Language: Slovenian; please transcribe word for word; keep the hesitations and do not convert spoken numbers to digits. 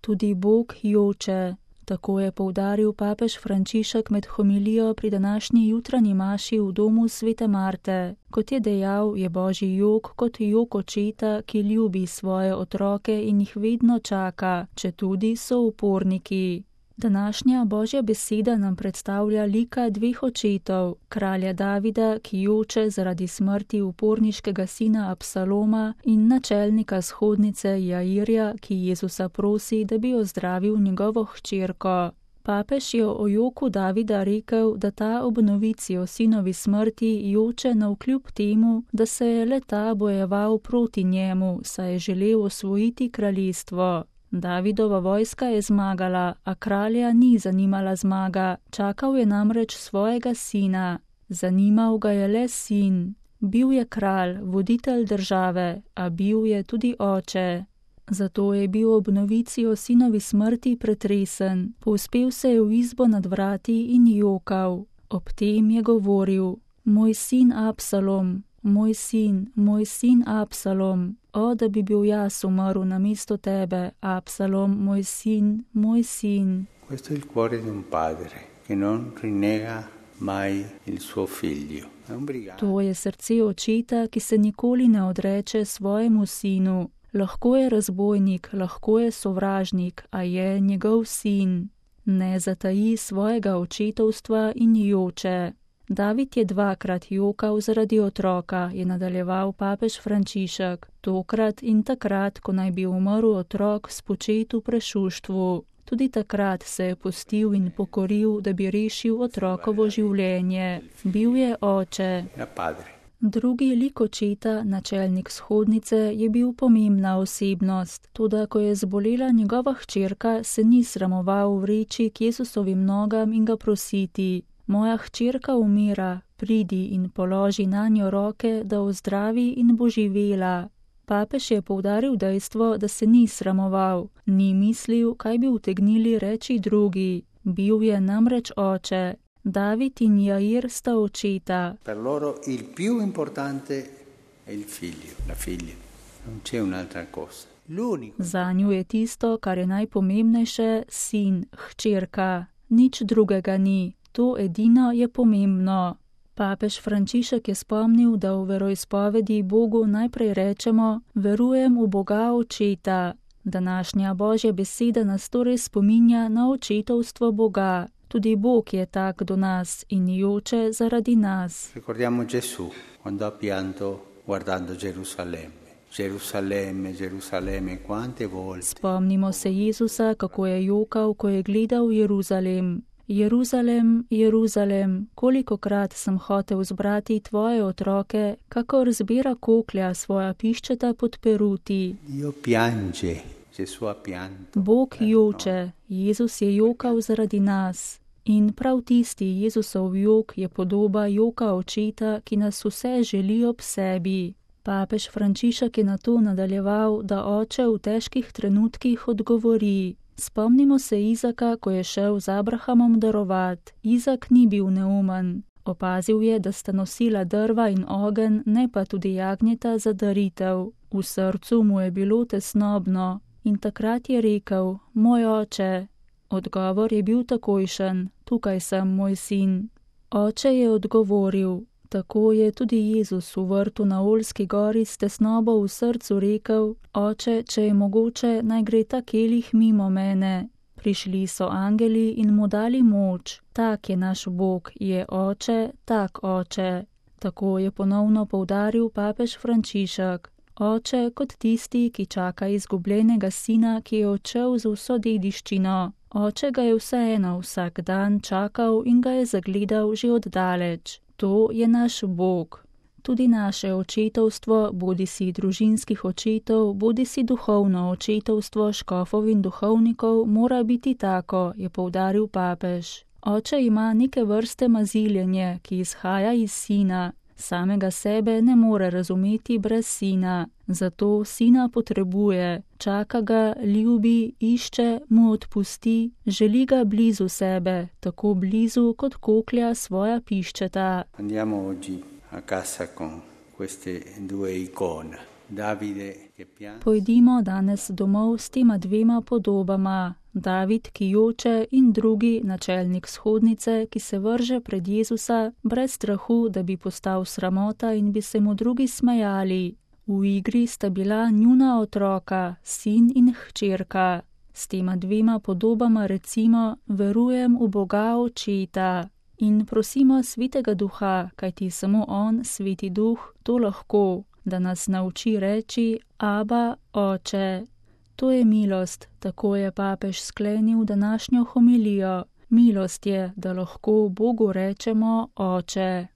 tudi Bog joče. Tako je poudaril papež Frančišek med homilijo pri današnji jutranji maši v domu svete Marte. Kot je dejal, je božji jok kot jok očeta, ki ljubi svoje otroke in jih vedno čaka, četudi so uporniki. Današnja božja beseda nam predstavlja lika dveh očetov, kralja Davida, ki joče zaradi smrti uporniškega sina Absaloma, in načelnika shodnice Jairja, ki Jezusa prosi, da bi ozdravil njegovo hčerko. Papež je o joku Davida rekel, da ta ob novici o sinovi smrti joče navkljub temu, da se je le ta bojeval proti njemu, saj je želel osvojiti kraljestvo. Davidova vojska je zmagala, a kralja ni zanimala zmaga, čakal je namreč svojega sina. Zanimal ga je le sin. Bil je kralj, voditelj države, a bil je tudi oče. Zato je bil ob novici o sinovi smrti pretresen, povzpel se je v izbo nad vrati in jokal. Ob tem je govoril: Moj sin Absalom, moj sin, moj sin Absalom, o, da bi bil jaz umrl namesto tebe, Absalom, moj sin, moj sin. Questo è il cuore di un padre che non rinnega mai il suo figlio. To je srce očeta, ki se nikoli ne odreče svojemu sinu. Lahko je razbojnik, lahko je sovražnik, a je njegov sin. Ne zataji svojega očetovstva in joče. David je dvakrat jokal zaradi otroka, je nadaljeval papež Frančišek, tokrat in takrat, ko naj bi umrl otrok spočet v prešuštvu. Tudi takrat se je pustil in pokoril, da bi rešil otrokovo življenje. Bil je oče. Drugi lik očeta, načelnik shodnice, je bil pomembna osebnost, toda ko je zbolela njegova hčerka, se ni sramoval vreči k Jezusovim nogam in ga prositi: Moja hčerka umira, pridi in položi nanjo roke, da ozdravi in bo živela. Papež je poudaril dejstvo, da se ni sramoval, ni mislil, kaj bi utegnili reči drugi. Bil je namreč oče. David in Jair sta očeta. Per loro il più importante è il figlio, la figlia. Non c'è un'altra cosa. L'unico. Zanju je tisto, kar je najpomembnejše, sin, hčerka. Nič drugega ni. To edino je pomembno. Papež Frančišek je spomnil, da v veroizpovedi Bogu najprej rečemo: Verujem v Boga očeta. Današnja božja beseda nas torej spominja na očetovstvo Boga. Tudi Bog je tak do nas in joče zaradi nas. Ricordiamo Gesù quando ha pianto guardando Gerusalemme. Gerusalemme, Gerusalemme, quante volte. Spomnimo se Jezusa, kako je jokal, ko je gledal Jeruzalem. Jeruzalem, Jeruzalem, kolikokrat sem hotel zbrati tvoje otroke, kakor zbira koklja svoja piščeta pod peruti. Dio piange, Gesù ha pianto. Bog joče, Jezus je jokal zaradi nas. In prav tisti Jezusov jok je podoba joka očeta, ki nas vse želi ob sebi. Papež Frančišek je na to nadaljeval, da oče v težkih trenutkih odgovori. Spomnimo se Izaka, ko je šel z Abrahamom darovat. Izak ni bil neumen. Opazil je, da sta nosila drva in ogenj, ne pa tudi jagnjeta za daritev. V srcu mu je bilo tesnobno in takrat je rekel: Moj oče. Odgovor je bil takojšen: Tukaj sem, moj sin. Oče je odgovoril. Tako je tudi Jezus v vrtu na Oljski gori s tesnobo v srcu rekel: Oče, če je mogoče, naj gre ta kelih mimo mene. Prišli so angeli in mu dali moč. Tak je naš Bog, je oče, tak oče. Tako je ponovno poudaril papež Frančišek. Oče kot tisti, ki čaka izgubljenega sina, ki je odšel z vso dediščino. Oče ga je vseeno vsak dan čakal in ga je zagledal že oddaleč. To je naš Bog. Tudi naše očetovstvo, bodi si družinskih očetov, bodi si duhovno očetovstvo škofov in duhovnikov, mora biti tako, je poudaril papež. Oče ima neke vrste maziljenje, ki izhaja iz sina. Samega sebe ne more razumeti brez sina, zato sina potrebuje, čaka ga, ljubi, išče, mu odpusti, želi ga blizu sebe, tako blizu kot koklja svoja piščeta. Andiamo oggi a casa con queste due icone, Davide che piange. Pojdimo danes domov s tema dvema podobama. David, ki joče, in drugi načelnik shodnice, ki se vrže pred Jezusa brez strahu, da bi postal sramota in bi se mu drugi smejali. V igri sta bila njuna otroka, sin in hčerka. S tema dvema podobama recimo, verujem v Boga Očeta. In prosimo Svetega Duha, kajti samo On, Sveti Duh, to lahko, da nas nauči reči Aba, Oče. To je milost, tako je papež sklenil današnjo homilijo. Milost je, da lahko Bogu rečemo Oče.